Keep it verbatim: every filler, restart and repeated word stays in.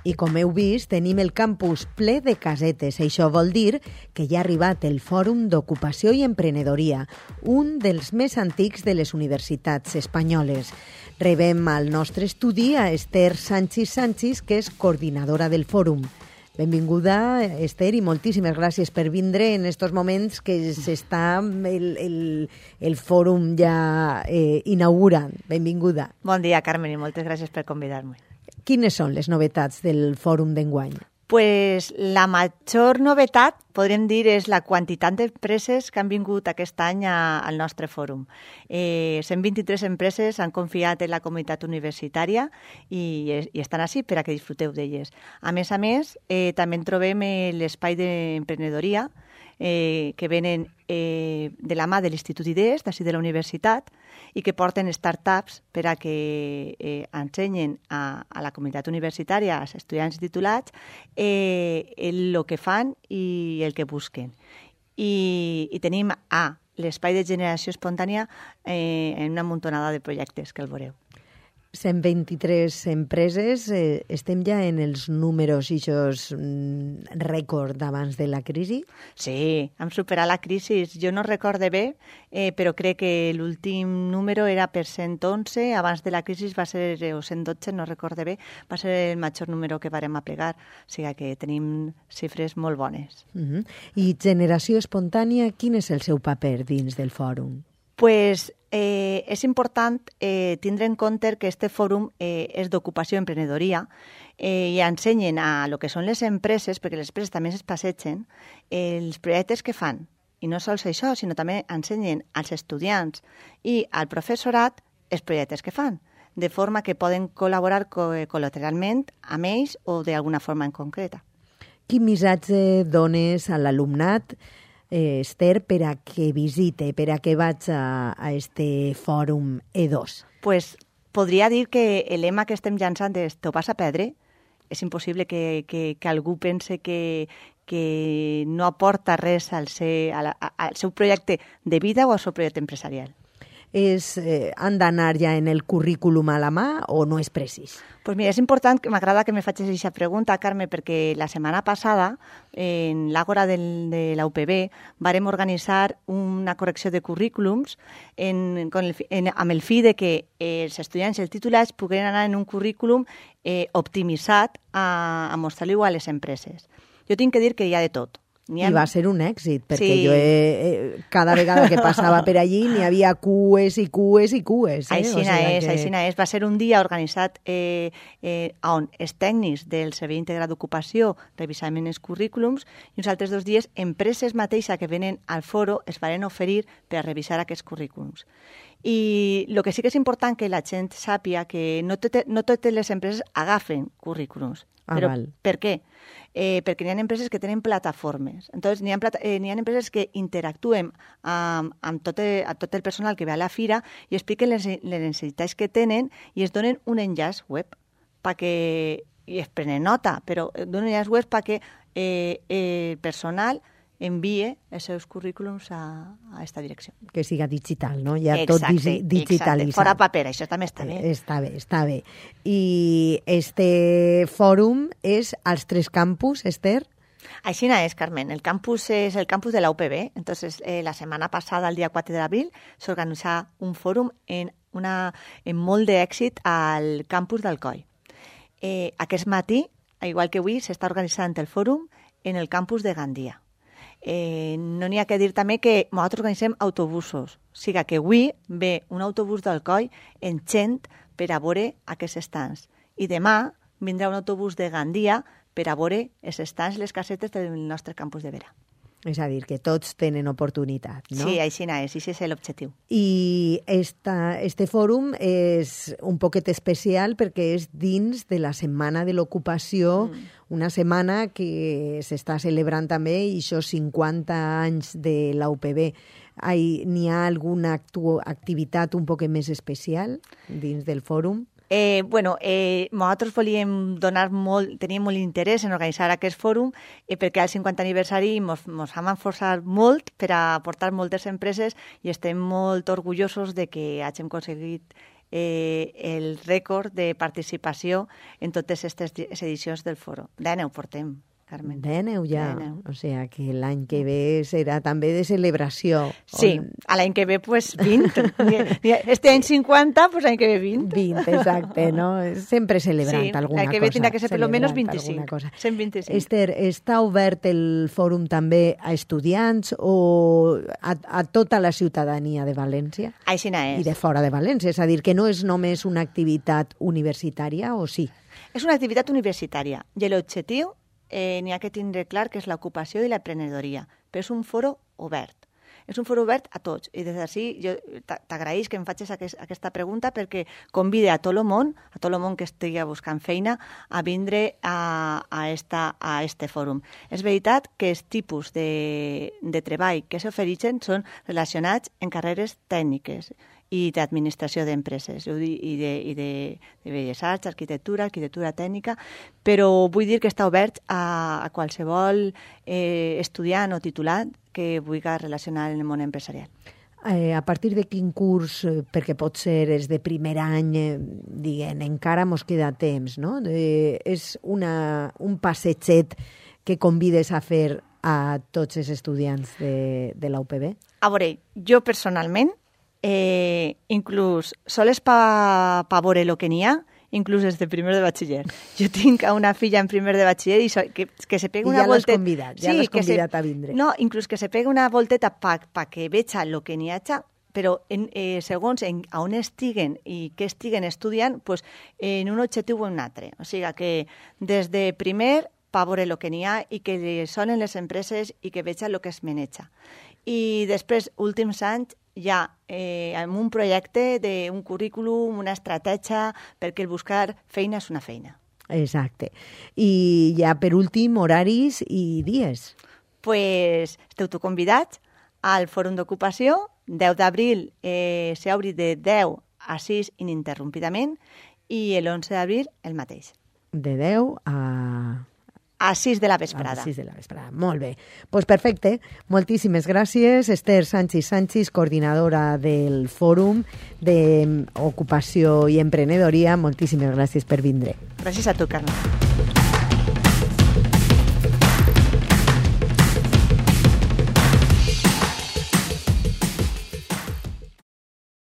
I com heu vist, tenim el campus ple de casetes. Això vol dir que ja ha arribat el Fòrum d'Ocupació i Emprenedoria, un dels més antics de les universitats espanyoles. Rebem al nostre estudi a Esther Sánchez Sánchez, que és coordinadora del fòrum. Benvinguda, Esther, i moltíssimes gràcies per vindre en estos moments que s'està el, el, el fòrum ja eh, inaugurant. Benvinguda. Bon dia, Carmen, i moltes gràcies per convidar-me. Quines són les novetats del fòrum d'enguany? Pues la major novetat, podríem dir, és la quantitat d'empreses que han vingut aquest any a, al nostre fòrum. Eh, cent vint-i-tres empreses han confiat en la comunitat universitària i, i estan així per a que disfruteu d'elles. A més a més, eh, també en trobem eh, l'espai d'emprenedoria, eh, que venen eh, de la mà de l'Institut Idees, d'ací de la universitat, i que porten startups per a que eh, ensenyen a, a la comunitat universitària, als estudiants titulats, eh, el, el que fan i el que busquen. I, i tenim a l'espai de generació espontània eh, en una muntonada de projectes que el veureu. cent vint-i-tres empreses, eh, estem ja en els números i això mm, rècord d'abans de la crisi? Sí, hem superat la crisi. Jo no recorde bé, eh, però crec que l'últim número era per cent onze, abans de la crisi va ser, o cent dotze, no recorde bé, va ser el major número que varem aplegar, o sigui que tenim xifres molt bones. Uh-huh. I generació espontània, quin és el seu paper dins del fòrum? Pues eh, és important eh, tindre en compte que este fòrum eh, és d'ocupació i emprenedoria eh, i ensenyen a lo que són les empreses, perquè les empreses també es passegen, eh, els projectes que fan. I no sols això, sinó també ensenyen als estudiants i al professorat els projectes que fan, de forma que poden col·laborar co- col·lateralment amb ells o d'alguna forma en concreta. Quin missatge dones a l'alumnat, Eh, Esther, per a que visite, per a que vaig a, a este fòrum E dos? Pues podria dir que el lema que estem llançant és «T'ho vas a perdre». És impossible que, que, que algú pense que, que no aporta res al, ser, a la, al seu projecte de vida o al seu projecte empresarial. És, eh, han d'anar ja en el currículum a la mà o no és precís? Pues mira, és important, m'agrada que me facis aquesta pregunta, Carme, perquè la setmana passada, en l'Àgora del, de la U P B, vàrem organitzar una correcció de currículums en, con el, en, amb el fi de que eh, els estudiants i els titulats pogueren anar en un currículum eh, optimitzat a, a mostrar-li-ho a les empreses. Jo tinc que dir que hi ha de tot. Ha... I va ser un èxit, perquè sí. jo he, eh, cada vegada que passava per allí n'hi havia cues i cues i cues. Eh? Aixina o sigui és, que... aixina és. Va ser un dia organitzat eh, eh, on els tècnics del Servei Integrat d'Ocupació revisaven els currículums i uns altres dos dies empreses mateixes que venen al foro es van oferir per a revisar aquests currículums. I el que sí que és important que la gent sàpia que no, tot, no totes les empreses agafen currículums. Ah, Però val. per què? Eh, perquè n'hi ha empreses que tenen plataformes. Entonces, n'hi ha, plata, eh, n'hi ha empreses que interactuen amb, amb, tot el, amb tot el personal que ve a la fira i expliquen les, les necessitats que tenen i es donen un enllaç web perquè, i es prenen nota, però donen un enllaç web perquè eh, el personal envie els seus currículums a, a esta direcció. Que siga digital, no? Ja exacte, tot digi digitalitzat. Exacte. Fora paper, això també està bé. Eh, està bé, està bé. I este fòrum és als tres campus, Esther? Així és, Carmen. El campus és el campus de la U P B. Entonces, eh, la setmana passada, el dia quatre d'abril, s'organitzà un fòrum en, una, en molt d'èxit al campus d'Alcoi. Eh, aquest matí, igual que avui, s'està organitzant el fòrum en el campus de Gandia. Eh, no n'hi ha que dir també que nosaltres organitzem autobusos. O sigui que avui ve un autobús d'Alcoi en gent per a veure aquests estants. I demà vindrà un autobús de Gandia per a veure els estants, les casetes del nostre campus de Vera. És a dir, que tots tenen oportunitat, no? Sí, així és, i és l'objectiu. I esta, este fòrum és un poquet especial perquè és dins de la Setmana de l'Ocupació, mm. una setmana que s'està celebrant també i això cinquanta anys de la U P B. N'hi ha alguna activitat un poquet més especial dins del fòrum? Eh, bueno, eh, nosaltres volíem donar molt, teníem molt interès en organitzar aquest fòrum eh, perquè al cinquanta aniversari ens vam esforçar molt per a portar moltes empreses i estem molt orgullosos de que hàgim aconseguit eh, el rècord de participació en totes aquestes edicions del foro. Dèneu portem, Carmen. Dèneu ja, Dèneu. O sea que l'any que ve serà també de celebració. Sí, on... a l'any que ve pues vint. Este any cinquanta, pues l'any que ve vint. vint, exacte, no? Sempre celebrant sí, alguna cosa. Sí, l'any que ve tindrà que ser per almenys vint-i-cinc. cent vint-i-cinc. Esther, està obert el fòrum també a estudiants o a, a tota la ciutadania de València? Així és. I de fora de València, és a dir, que no és només una activitat universitària, o sí? És una activitat universitària i l'objectiu eh, n'hi ha que tindre clar que és l'ocupació i l'emprenedoria, però és un foro obert. És un foro obert a tots i des d'ací jo t'agraïs que em facis aquest, aquesta pregunta perquè convida a tot el món, a tot el món que estigui buscant feina, a vindre a, a, esta, a este fòrum. És veritat que els tipus de, de treball que s'ofereixen són relacionats en carreres tècniques i d'administració d'empreses, i de, i de, de belles arts, arquitectura, arquitectura tècnica, però vull dir que està obert a, a qualsevol eh, estudiant o titulat que vulgui relacionar en el món empresarial. Eh, a partir de quin curs, perquè pot ser és de primer any, eh, diguem, encara mos queda temps, no? Eh, és una, un passetget que convides a fer a tots els estudiants de, de la U P B? A veure, jo personalment, Eh, inclús sols pa, pa veure el que n'hi ha, inclús des de primer de batxiller. Jo tinc una filla en primer de batxiller i so, que, que se pegui una volteta... I ja l'has convidat, ja sí, l'has convidat se, a vindre. No, inclús que se pegui una volteta pa, pa que veja el que n'hi ha, però en, eh, segons en, a on estiguen i què estiguen estudiant, pues, en un objectiu o en un altre. O sigui que des de primer pa veure el que n'hi ha i que sonen les empreses i que veja el que es maneja. I després, últims anys, ja eh, amb un projecte d'un currículum, una estratègia, perquè el buscar feina és una feina. Exacte. I ja per últim, horaris i dies. Pues esteu tu convidats al Fòrum d'Ocupació, deu d'abril eh, s'obri de deu a sis ininterrompidament i l'onze d'abril el mateix. De deu a... A sis de la vesprada. A sis de la vesprada, molt bé. Doncs pues perfecte, moltíssimes gràcies. Esther Sánchez Sánchez, coordinadora del Fòrum d'Ocupació i Emprenedoria, moltíssimes gràcies per vindre. Gràcies a tu, Carme.